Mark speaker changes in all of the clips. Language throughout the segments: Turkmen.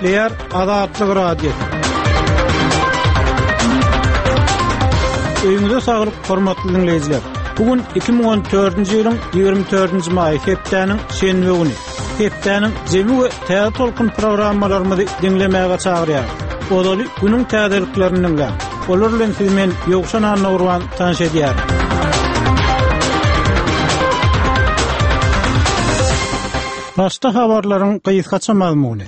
Speaker 1: Gepleýär Azatlyk Radiosy. Öýüňize saglyk, hormatly diňleýjiler. Bu gün 2014-nji ýylyň 24-nji maýy hepdäniň şenbe güni. Hepdäniň jemi we täze tolkun programmalarymyzy diňlemäge çagyrýarys. Ozaly günüň täzeliklerini diňläň. Olar bilen sizi men Ýowşan Annagurban tanyş edýärin. Başda habarlaryň gysgaça mazmuny.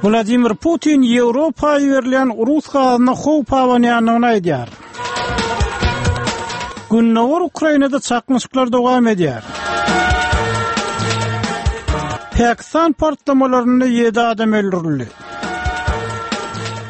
Speaker 1: Wladimir Putin Ýewropa iberilýän rus gazyna howp abanýandygyny aýdýar. Gündogar Ukrainada çaknyşyklar dowam edýär. Pakistan partlamalarynda 7 adam öldürildi.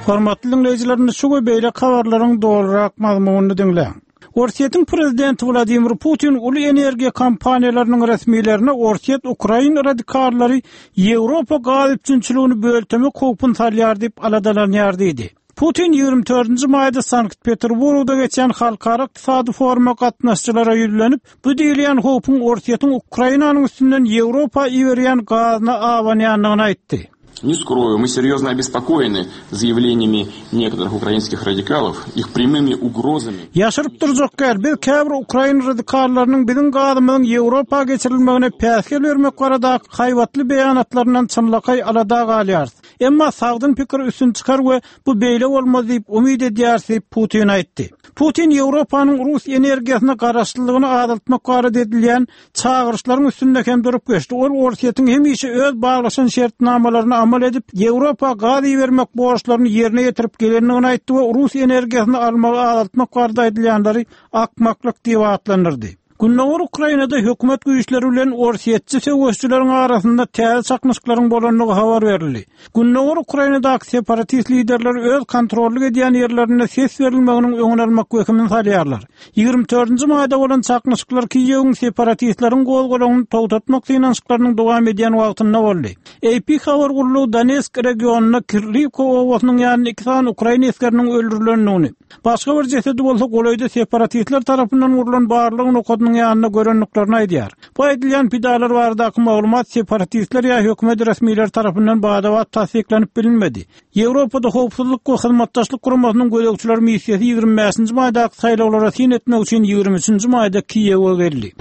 Speaker 1: Hormatly diňleýjiler, indi şu we beýleki habarlaryň dolurak mazmunyny diňläň. Orsýetiň prezidenti Wladimir Putin uly energiýa kompaniýalarynyň resmilerine Orsýet ukrain radikallary Ýewropa gaz üpjünçiligini böltemek howpuny salýar diýip aladalanýar diýdi. Putin 24-nji maýda Sankt-Peterburgda geçýän halkara ykdysady foruma gatnaşyjylara ýüzlenip, bu diýilýän howpuň Orsýetiň Ukrainanyň üstünden Ýewropa iberýän gazyna abanýandygyny aýtdy.
Speaker 2: Не скрою, мы серьезно обеспокоены заявлениями некоторых украинских радикалов, их прямыми угрозами.
Speaker 1: Ýaşyryp durjak däl, biz käbir ukrain radikallarynyň biziň gazymyzyň Ýewropa geçirilmegine päsgel bermek baradaky haýbatly beýanatlaryndan çynlakaý alada galýarys. Emma sagdyn pikir üstün çykar we bu beýle bolmaz diýip umyt edýäris diýip, Putin aýtdy. Putin Ýewropanyň rus energiýasyna garaşlylygyny azaltmak barada edilýän çagyryşlaryň üstünde hem durup geçdi. Ol Orsýetiň hemişe öz baglaşan şertnamalaryna amal edip, Ýewropa gaz ibermek borçlaryny ýerine ýetirip gelendigini aýtdy we rus energiýasyny almagy azaltmak barada aýdylýanlary akmaklyk diýip atlandyrdy. Gündogar Ukrainada hökümet güýçleri bilen orsýetçi söweşijileriň arasynda täze çaknyşyklaryň bolandygy habar berildi. Gündogar Ukrainadaky separatist liderleri öz kontrollyk edýän ýerlerinde ses berilmeginiň öňüni almak wehimini salýarlar. 24-nji maýda bolan çaknyşyklar Kiýewiň separatistleriň gozgalaňyny togtatmak synanyşyklarynyň dowam edýän wagtynda boldy. AP habar gullugy Donetsk regionynda Kirliwka obasynyň ýanynda iki sany ukrain esgeriniň öldürilendigini, Başga bir jesedi bolsa golaýda separatistler tarapyndan gurlan barlag nokadynyň ýanynda görendiklerini aýdýar. Bu aýdylýan pidalar baradaky maglumat separatistler ýa hökümet resmileri tarapyndan bada-bat tassyklanyp bilinmedi. Ýewropada Howpsuzlyk we Hyzmatdaşlyk Guramasynyň gözegçiler missiýasy 25-nji maýdaky saýlawlara syn etmek üçin 23-nji maýda Kiýewe geldi.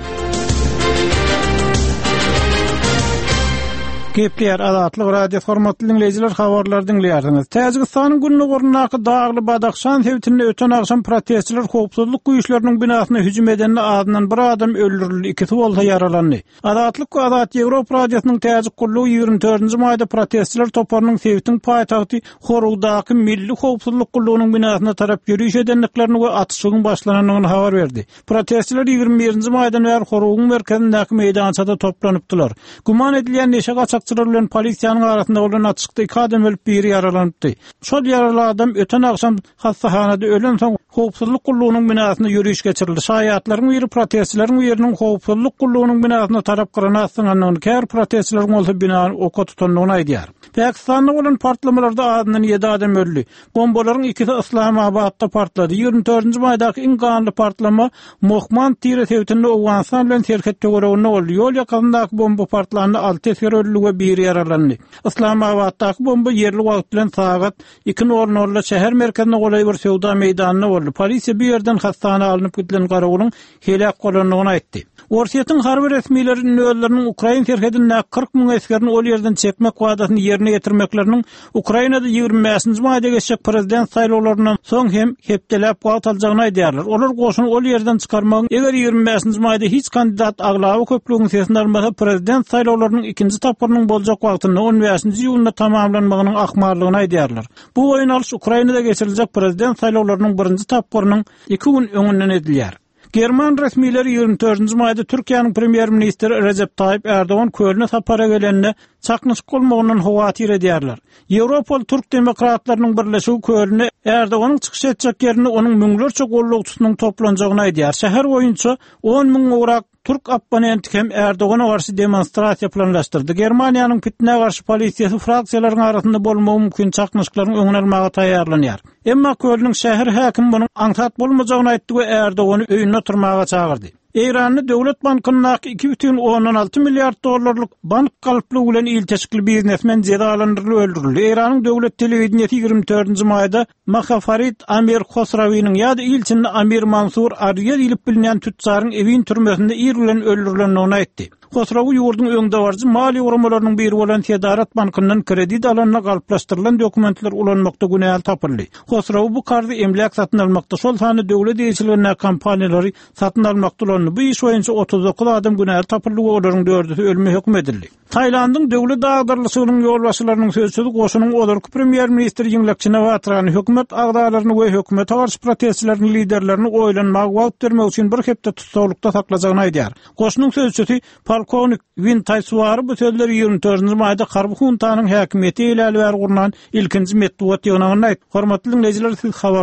Speaker 1: Gepleýär Azatlyk Radiosy hormatly diňleýjiler habarlary diňleýärsiňiz. Täjigistanyň gündogaryndaky dagly Badahşan sebitinde öten agşam protestçiler howpsuzlyk güýçleriniň binasyna hüjüm edende azyndan bir adam öldürildi, ikisi bolsa ýaralandy. Azatlyk we Azat Ýewropa Radiosynyň täjik gullugy 24-nji maýda protestçiler toparynyň sebitiň paýtagty Horugdaky Milli howpsuzlyk gullugynyň binasyna tarap ýöriş edendiklerini we atyşygyň başlanandygyny habar berdi. Protestçiler 21-nji maýdan bäri Horugyň merkezindäki meýdançada toplanypdylar. Güman edilýän neşe gaçakçylary bilen polisiýanyň arasynda bolan atyşykda iki adam ölüp, biri ýaralanypdy. Şol ýaraly adam öten agşam hassahanada ölensoň, howpsuzlyk gullugynyň binasyna ýöriş geçirildi. Şaýatlaryň biri protestçileriň biriniň howpsuzlyk gullugynyň binasyna tarap granat zyňandygyny, käbir protestçileriň bolsa binany oka tutandygyny aýdýar. Pakistanda bolan partlamalarda azyndan ýedi adam öldi. Bombalaryň ikisi Yslamabatda partlady. 24-nji maýdaky iň ganly partlama Mohmand tire sebitinde Owganystan bilen serhet töwereginde boldy. Ýol ýakasyndaky bomba partlanda alty esger öldi we biri ýaralandy. Yslamabatdaky bomba ýerli wagt bilen sagat iki nol nolda şäher merkezine golaý bir söwda meýdanynda boldy. Polisiýa bu ýerden hassahana alnyp gidilen garawulyň heläk bolandygyny aýtdy. Orsýetiň harby resmileri indi özleriniň ukrain serhedindäki 40 müň esgerini ol ýerden çekmek wadasyny ýerine ýetirmekleriniň Ukrainada 25-nji maýda geçjek prezident saýlawlaryndan soň hem hepdeläp wagt aljagyny aýdýarlar. Olar goşuny ol ýerden çykarmagyň eger 25-nji maýda hiç kandidat aglaba köplügiň sesini almasa, prezident saýlawlarynyň ikinji tapgyrynyň boljak wagtynda 15-nji iýunda tamamlanmagynyň ahmallygyny aýdýarlar. Bu boýun alyş Ukrainada geçiriljek prezident saýlawlarynyň birinji tapgyrynyň iki gün öňünden edilýär. German resmileri 24-nji maýda Türkiýäniň premýer-ministri Rejep Taýyp Ärdogan Kölne sapara gelende çaknyşyk bolmagyndan howatyr edýärler. Ýewropaly türk demokratlarynyň birleşigi Kölnde Ärdoganyň çykyş etjek ýerinde onuň müňlerçe gollagçysynyň toplanjagyny aýdýar. Şäher boýunça on müň gowrak Türk opponenti hem Erdogana garşy demonstrasiýa planlaşdyrdy. Germaniýanyň pitnä garşy polisiýasy fraksiýalaryň arasynda bolmagy mümkin çaknyşyklaryň öňüni almaga taýýarlanýar. Emma Kölnüň şäher häkimi munuň aňsat bolmajagyny aýtdy we Erdogany öýünde oturmaga çagyrdy. Eýranda döwlet bankyndaky 2,6 milliard dollarlyk bank galplygy bilen ilteşikli biznesmen jezalandyrylyp öldürildi. Eýranyň döwlet telewideniýesi 24-nji maýda Mahafarid Amir Hosrawiniň ýa-da il içinde Amir Mansur Arýa diýlip bilinýän tütjaryň Ewin türmesinde ir bilen öldürilendigini aýtdy. Hosrawi ýurduň öňdebaryjy maliýe guramalarynyň biri bolan Sedarat bankyndan kredit alanda galplaşdyrylan dokumentleri ulanmakda günäli tapyldy. Hosrawi bu karzy emläk satyn almakda, şol sanda döwlet eýeçiligindäki kompaniýalary satyn almakda ulandy. Bu iş boýunça 39 adam günäli tapyldy we olaryň dördüsi ölüme höküm edildi. Tailandyň döwlet agdarylyşygynyň ýolbaşçylarynyň sözçüsi goşunyň ozalky premýer-ministri Ýiňlak Çinawatrany, hökümet agzalaryny we hökümete garşy protestçileriň liderlerini oýlanmaga wagt bermek üçin bir hepde tussaglykda saklajagyny aýdýar. Goşunyň sözçüsi polkownik Win Taýsuary bu sözleri 24-nji maýda harby huntanyň häkimiýeti eýläli bäri gurnan ilkinji metbugat ýygnagynda aýtdy. Hormatly diňleýjiler, siz habar.